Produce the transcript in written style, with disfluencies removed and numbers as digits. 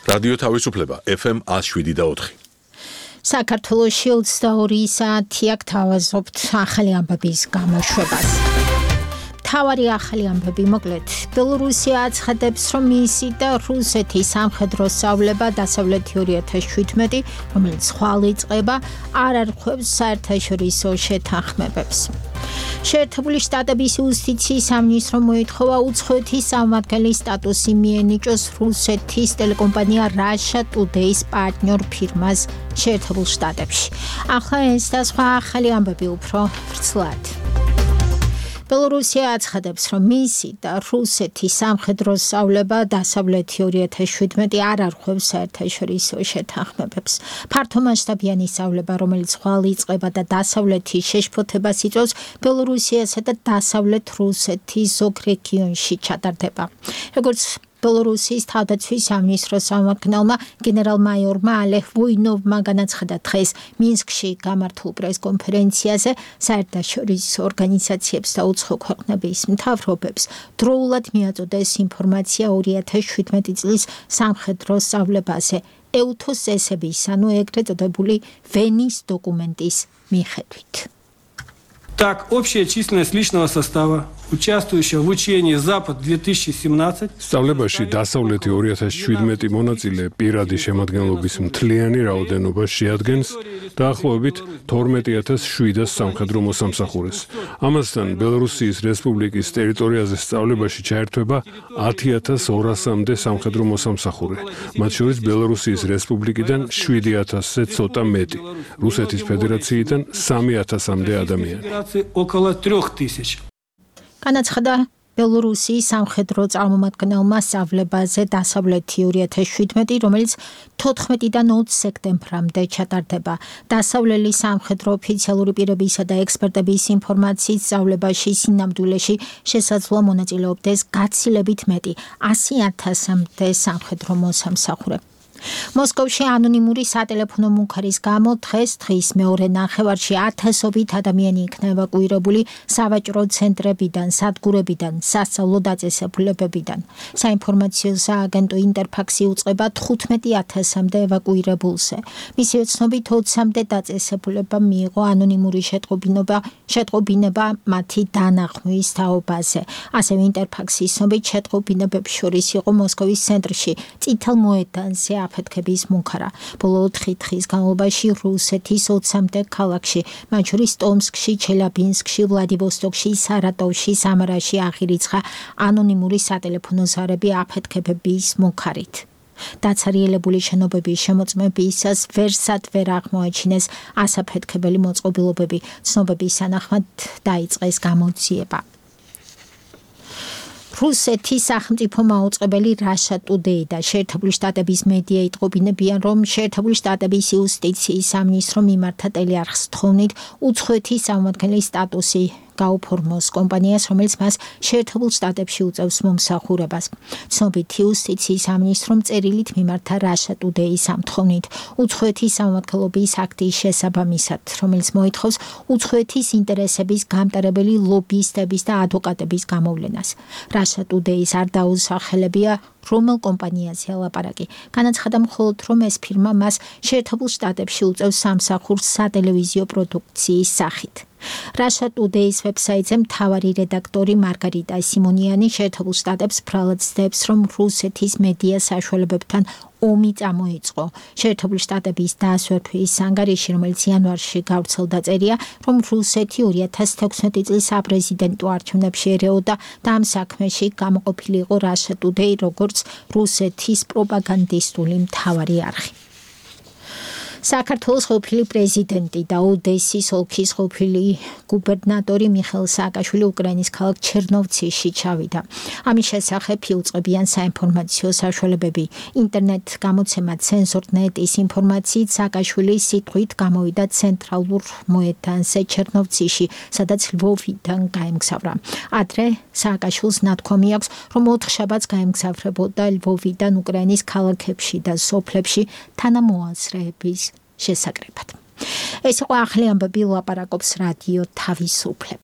რადიო თავისუფლება FM 107.4. საქართველოში 22 საათი აქ თავაზობთ ახალი ამბების გამოშვებას. თავარი ახალი ამბები მოკლედ. ბელორუსია აცხადებს, რომ მისი და რუსეთის სამხედრო სწავლება დასავლეთი 2017, რომელიც ხვალ იწყება, არ არღვევს საერთაშორისო შეთანხმებებს. შეერთებული შტატების იუსტიციის სამინისტრო მოითხოვა უცხოეთის წარმომადგენლის სტატუსი მიენიჭოს რუსეთის ტელეკომპანია Russia Today-ის პარტნიორ ფირმას შეერთებულ შტატებში. ახლა ეს და სხვა ახალი ამბები უფრო ვრცლად. ბელორუსია აცხადებს, რომ მისი და რუსეთის სამხედრო სწავლება დასავლეთი 2017 არ არღვევს საერთაშორისო შეთანხმებებს. ფართომასშტაბიანი სწავლება, რომელიც ხვალ იწყება და დასავლეთის შეშფოთებას იწვევს, ბელორუსიასა და დასავლეთ რუსეთის ზოგ რეგიონში ჩატარდება. როგორც ბელორუსიის თავდაცვის სამინისტროს წარმომადგენელმა გენერალ-მაიორმა ალეხ ვოინოვმა განაცხადა დღეს მინსკში გამართულ პრესკონფერენციაზე საერთაშორისო ორგანიზაციებს და უცხო ქვეყნების მთავრობებს დროულად მიაწოდეს ინფორმაცია 2017 წლის სამხედრო სწავლებაზე ეუთოს წესების, ანუ ეგრეთ წოდებული ვენის დოკუმენტის მიხედვით. Так, общая численность личного состава, участвующего в учении Запад-2017 სწავლებაში დასავლეთი 2017 მონაწილე პირადი შემადგენლობის მთლიანი რაოდენობა შეადგენს დაახლოებით 12700 სამხედრო მოსამსახურეს. ამასთან ბელორუსიის რესპუბლიკის ტერიტორიაზე სწავლებაში ჩაერთვება 10200-მდე სამხედრო მოსამსახურე, მათ შორის ბელორუსიის რესპუბლიკიდან 7000-ზე ცოტა მეტი, რუსეთის ფედერაციიდან 3000-მდე ადამიანი. около 3000. განაცხადა ბელორუსიის სამხედრო წარმომადგენელმა სწავლებაზე დასავლეთი 2017, რომელიც 14-დან 20 სექტემბრამდე ჩატარდება. დასავლელი სამხედრო ოფიციალური პირებისა და ექსპერტების ინფორმაციით სწავლებაში სინამდვილეში შესაძლოა მონაწილეობდეს გაცილებით მეტი 100,000-მდე სამხედრო მოსამსახურე. მოსკოვში ანონიმური სატელეფონო მუხარის გამო დღის მეორე ნახევარში 1000-ობით ადამიანი იქნა ევაკუირებული სავაჭრო ცენტრებიდან, სადგურებიდან, სასწავლო დაწესებულებებიდან. საინფორმაციო სააგენტო ინტერფაქსი უწყება 15,000-მდე ევაკუირებულზე. მისივე ცნობით 20-მდე დაწესებულება მიიღო ანონიმური შეტყობინება მათი დანახმვის თაობაზე. ასევე ინტერფაქსის ცნობით შეტყობინებებს შორის იყო მოსკოვის ცენტრში, წითელ მოედანზე აფეთქების მუხარა. ბოლო 4 დღის განმავლობაში რუსეთის 20-მდე ქალაქში, მათ შორის ტომსკში, ჩელაბინსკში, ვლადივოსტოკში, სარატოვში, სამარაში აღირიცხა ანონიმური სატელეფონო ზარები აფეთქებების მუხარით. დაცარიელებული შენობების შემოწმებისას ვერსად ვერ აღმოაჩინეს ასაფეთქებელი მოწყობილობები. ცნობების თანახმად დაიწყეს გამოძიება. რუსეთის სახელმწიფო მაუწყებელი Russia Today და შეერთებული შტატების მედია იტყობინებიან, რომ შეერთებული შტატების იუსტიციის სამინისტრო მიმართა ტელეარხს თხოვნით უცხოეთის წარმომადგენლის სტატუსი გაუფორმოს კომპანიას, რომელიც მას შეერთებულ შტატებში უწევს მომსახურებას. ცნობით იუსტიციის სამინისტრომ წერილით მიმართა Russia Today-ის ამ თხოვნით უცხოეთის სამმართველობის აქტის შესაბამისად, რომელიც მოითხოვს უცხოეთის ინტერესების გამტარებელი ლობისტების და ადვოკატების გამოვლენას. Russia Today-ის არ დაუსახელებია რომელ კომპანიაზე ელაპარაკი. განაცხადა მხოლოდ, რომ ეს ფირმა მას შეერთებულ შტატებში უწევს სამსახურს სატელევიზიო პროდუქციის სახით. Russia Today-ის ვებსაიტზე მთავარი რედაქტორი მარგარიტა სიმონიანი შეერთებულ შტატებს ბრალად ცდებს, რომ რუსეთის მედია საშუალებებთან ომი წამოიწყო. შეერთებული შტატების დაასვერთვის ანგარიში, რომელიც იანვარში გავრცელდა, წერია, რომ რუსეთი 2016 წლის საპრეზიდენტო არჩევნებში ერეოდა და ამ საქმეში გამოყოფილი იყო Russia Today, როგორც რუსეთის პროპაგანდისტული მთავარი არხი. საქართველოს ყოფილი პრეზიდენტი და ოდესის ოლქის ყოფილი გუბერნატორი მიხეილ სააკაშვილი უკრაინის ქალაქ ჩერნოვცში ჩავიდა. ამის შესახებ იუწყებიან საინფორმაციო საშუალებები. ინტერნეტ გამოცემა Censor.net-ის ინფორმაციით სააკაშვილის სიტყვით გამოვიდა ცენტრალურ მოედანზე ჩერნოვცში, სადაც ლვოვიდან გაემგზავრა. ადრე სააკაშვილს ნათქვამი აქვს, რომ 4 შაბათს გაემგზავრებოდა ლვოვიდან უკრაინის ქალაქებში და სოფლებში თანამოაზრეების შესაკრებად. ეს იყო ახალი ამბები, ლაპარაკობს რადიო თავისუფლება.